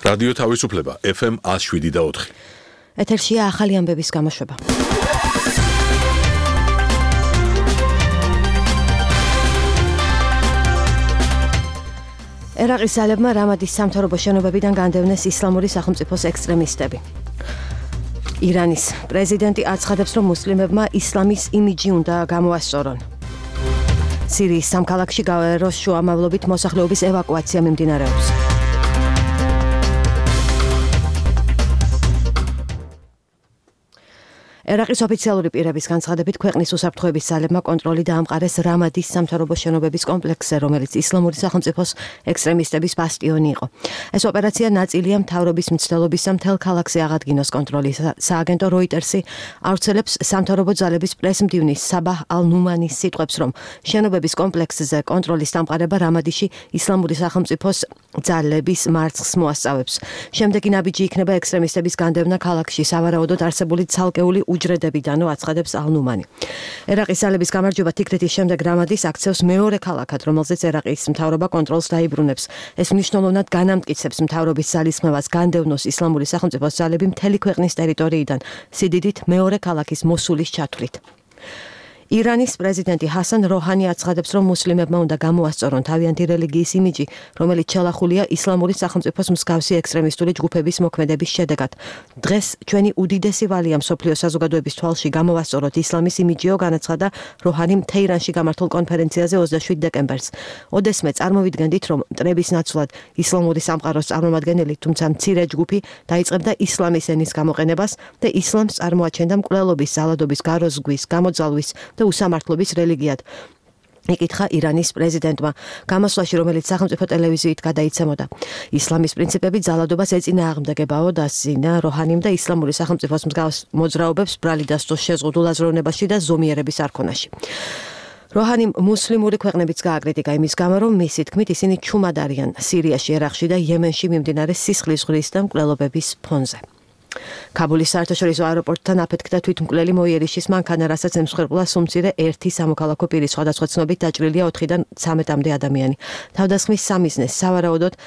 რადიო თავისუფლება FM 107.4. ეთერშია ახალი ამბების გამოშვება. ერაყის ძალებმა რამადის სამთავრობო შენობებიდან განდევნეს ისლამური სახელმწიფოს ექსტრემისტები. ირანის პრეზიდენტი აცხადებს, რომ მუსლიმებმა ისლამის იმიჯი უნდა გამოასწორონ. სირიის სამქალაქში გავეროს შუამავლობით მოსახლეობის ევაკუაცია მიმდინარეობს. ერაყის ოფიციალური პირების განცხადებით, ქვეყნის უსაფრთხოების ძალებმა კონტროლი დაამყარეს რამადის სამთავრობო შენობების კომპლექსზე, რომელიც ისლამური სახელმწიფოს ექსტრემისტების ბასტიონი იყო. ეს ოპერაცია ნაწილია მთავრობის მცდელობისა მთელ ქალაქზე აღადგინოს კონტროლი. სააგენტო როიტერსი ავრცელებს სამთავრობო ძალების პრესმდივნის საბაჰ ალ-ნუმანის სიტყვებს, რომ შენობების კომპლექსზე კონტროლის დამყარება რამადიში ისლამური სახელმწიფოს ძალების მარცხს მოასწავებს. შემდეგი ნაბიჯი იქნება ექსტრემისტების განდევნა ქალაქში, სავარაუდოდ არსებული ცალკეული უჯრედებიდანო აცხადებს ალ-ნუმანი. ერაყის ძალების გამარჯვება თიქრეთის შემდეგ რამადის აქცევს მეორე ქალაქად, რომელზეც ერაყის მთავრობა კონტროლს დაიბრუნებს. ეს მნიშვნელოვნად განამტკიცებს მთავრობის ძალისხმევას განდევნოს ისლამური სახელმწიფოს ძალები მთელი ქვეყნის ტერიტორიიდან, სიდიდით მეორე ქალაქის მოსულის ჩათვლით. ირანის პრეზიდენტი ჰასან როჰანი აცხადებს, რომ მუსლიმებმა უნდა გამოასწორონ თავიანთი რელიგიის იმიჯი, რომელიც ჩალახულია ისლამური სახელმწიფოს მსგავსი ექსტრემისტული ჯგუფების მოქმედების შედეგად. დღეს ჩვენი უდიდესი ვალია მსოფლიო საზოგადოების თვალში გამოვასწოროთ ისლამის იმიჯიო, განაცხადა როჰანიმ თეირანში გამართულ კონფერენციაზე 27 დეკემბერს. ოდესმე წარმოვიდგენდით, რომ მტრების ნაცვლად ისლამური სამყაროს წარმომადგენელი, თუმცა მცირე ჯგუფი დაიწყებდა ისლამის ენის გამოყენებას და ისლამს წარმოაჩენდა მკვლელობის, ზალადობის, გაროზგვის, გამოძალვის და უსამართლობის რელიგიად. იკითხა ირანის პრეზიდენტმა გამოსვლაში, რომელიც სახელმწიფო ტელევიზიით გადაიცემოდა. ისლამის პრინციპები ძალადობას ეწინააღმდეგებაო, დასძინა როჰანიმ და ისლამური სახელმწიფოს მსგავს მოძრაობებს ბრალი დასწოს შეზღუდულ აზროვნებაში და ზომიერების არქონაში. როჰანიმ მუსლიმური ქვეყნებიც გააკრიტიკა იმის გამო, რომ მისი თქმით ისინი ჩუმად არიან სირიაში, ერაყში და იემენში მიმდინარე სისხლის ზღვრის და მკვლელობების ფონზე. ქაბულის საერთაშორისო აეროპორტთან აფეთქდა თვითმკვლელი მოიერიშის მანქანა, რასაც ემსხვერპლა სუმცირე ერთი სამოქალაქო პირის, სხვადასხვა ცნობით დაჭრილია 4-დან 13-მდე ადამიანი. თავდასხმის სამიზნეს სავარაუდოდ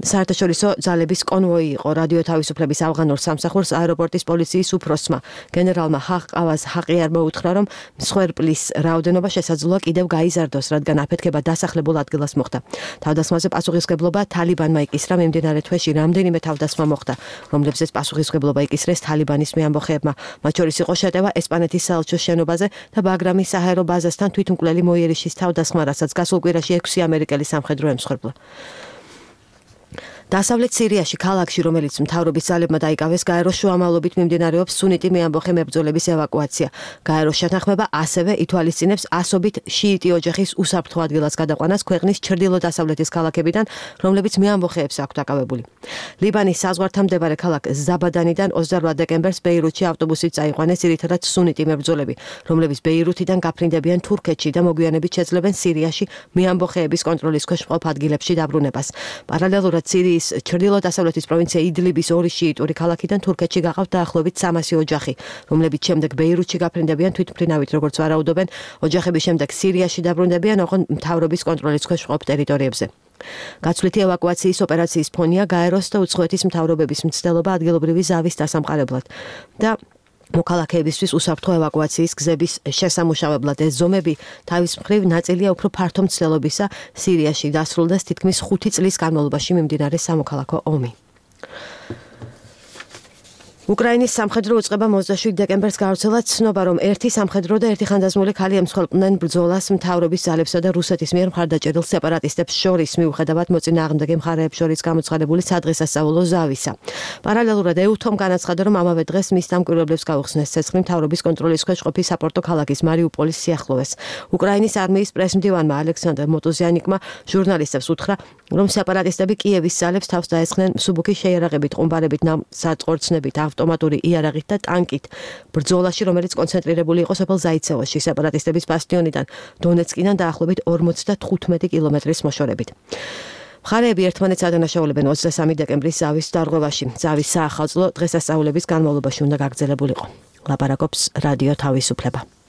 საერთაშორისო ძალების კონვოი იყო. რადიო თავისუფლების ავღანურ სამსახურს აეროპორტის პოლიციის უფროსმა გენერალმა ჰაყავაზ ჰაყიარმა უთხრა, რომ მსხვერპლის რაოდენობა შესაძლოა კიდევ გაიზარდოს, რადგან აფეთქება დასახლებულ ადგილას მოხდა. თავდასხმაზე პასუხისმგებლობა თალიბანმა იკისრა. მიმდინარე თვეში რამდენიმე თავდასხმა მოხდა, რომლებზეც პასუხისმგებლობა იკისრეს თალიბანის მეამბოხეებმა. მათ შორის იყო შეტევა ესპანეთის საელჩოს შენობაზე და ბაგრამის საჰაერო ბაზასთან თვითმკვლელი მოიერიშის თავდასხმა, რასაც გასულ კვირაში 6 ამერიკელი სამხედრო ემსხვერპლა. დასავლეთ სირიაში ქალაქში, რომელიც მთავრობის ძალებმა დაიკავეს, გაეროს შუამავლობით მიმდინარეობს სუნიტი მეამბოხე მებრძოლების ევაკუაცია. გაეროს შეთანხმება ასევე ითვალისწინებს ასობით შიიტი ოჯახის უსაფრთხო ადგილას გადაყვანას ქვეყნის ჩრდილო-დასავლეთის ქალაქებიდან, რომლებიც მეამბოხეებს აქვთ აკავებული. ლიბანის საზღვართან მდებარე ქალაქ ზაბადანიდან 28 დეკემბერს ბეირუთში ავტობუსით წაიყვანეს ძირითადად სუნიტი მებრძოლები, რომლებიც ბეირუთიდან გაფრინდებიან თურქეთში და მოგვიანებით შეძლებენ სირიაში მეამბოხეების კონტროლის ქვეშ მყოფ ადგილებში დაბრუნებას. პარალელურად სირიის ჩრდილო-დასავლეთის პროვინცია იდლიბის ორი შიიტური ქალაქიდან თურქეთში გაყავთ დაახლოებით 300 ოჯახი, რომლებიც შემდეგ ბეირუთში გაფრინდებიან თვითმფრინავით, როგორც ვარაუდობენ. ოჯახების შემდეგ სირიაში დაბრუნდებიან, ოღონდ მთავრობის კონტროლის ქვეშ მყოფ ტერიტორიებზე. გაცვლითი ევაკუაციის ოპერაციის ფონია გაეროს და უცხოეთის მთავრობების მცდელობა ადგილობრივი ზავის დასამყარებლად და მოქალაქეებისთვის უსაფრთხო ევაკუაციის გზების შესამუშავებლად. ეს ზომები თავის მხრივ ნაწილია უფრო ფართო მცდელობისა. სირიაში დასრულდეს თითქმის 5 წლის განმავლობაში მიმდინარე სამოქალაქო ომი. უკრაინის სამხედრო უწყება 27 დეკემბერს გავრცელა ცნობა, რომ ერთი სამხედრო და ერთი ხანდაზმული ქალი ემსხვერპლნენ ბრძოლას მთავრობის ძალებსა და რუსეთის მიერ მხარდაჭერილ სეპარატისტებს შორის, მიუხედავად მოწინააღმდეგე მხარეებს შორის გამოცხადებული სადღესასწაულო ზავისა. პარალელურად ეუთომ განაცხადა, რომ ამავე დღეს მის დამკვირვებლებს გაუხსნეს ცეცხლი მთავრობის კონტროლის ქვეშ ყოფი საპორტო ქალაქის მარიუპოლის სიახლოვეს. უკრაინის არმიის პრესმდივანმა ალექსანდრ მოტოზიანიკმა ჟურნალისტებს უთხრა, რომ სეპარატისტები კიევის ძალებს თავს დაესხნენ მსუბუქი შეიარაღებით, ყუმბარებით, საწყორცნებით, ავტომატური იარაღით და ტანკით. ბრძოლაში, რომელიც კონცენტრირებული იყო სოფელ ზაიცევოში, სეპარატისტების ბასტიონიდან დონეცკიდან დაახლოებით 55 კილომეტრის მოშორებით. მხარეები ერთმანეთს ადანაშაულებენ 23 დეკემბრის ზავის დარღვევაში. ზავის საახალწლო დღესასწაულების განმავლობაში უნდა გაგრძელებულიყო. ლაპარაკობს რადიო თავისუფლება.